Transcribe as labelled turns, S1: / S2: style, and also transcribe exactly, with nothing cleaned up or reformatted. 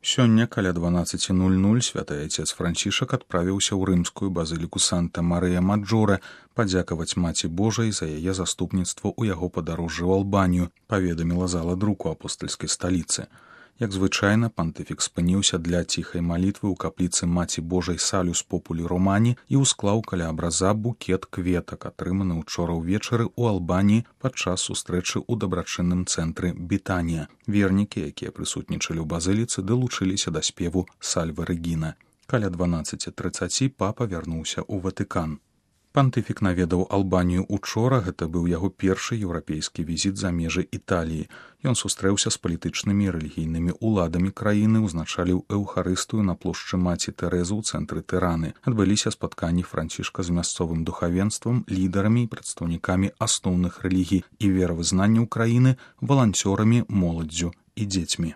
S1: Сёння каля дванаццаць нуль нуль святы айцец Францішак адправіўся ў рымскую базыліку Санта-Марыя-Маджоре падзякаваць Маці Божай за яе заступніцтво ў яго падарожжы ў Албанію, паведаміла зала друку апостальскай сталіцы. Як звычайна, пантыфік спыніўся для ціхай малітвы ў капліцы Маці Божай Салюс Популі Романі і ўсклаў каля абраза букет кветак, атрыманы ўчора ўвечары ў Албаніі падчас сустрэчы ў дабрачынным цэнтры Бітанія. Вернікі, якія прысутнічалі ў базыліцы, далучыліся да спеву Сальве Рэгіна. Каля дванаццаць трыццаць папа вярнуўся ў Ватыкан. Пантыфік наведаў Албанію учора, гэта быў яго першы еўрапейскі візіт за межы Італіі. Ён сустрэўся з палітычнымі і рэлігійнымі ўладамі краіны, узначаліў эўхарыстыю на плошчы Маці Тэрэзы ў цэнтры Тыраны. Адбыліся спатканні Францішка з мясцовым духавенствам, лідарамі і прадстаўнікамі асноўных рэлігій і веравызнанняў краіны, валанцёрамі, моладдзю і дзецьмі.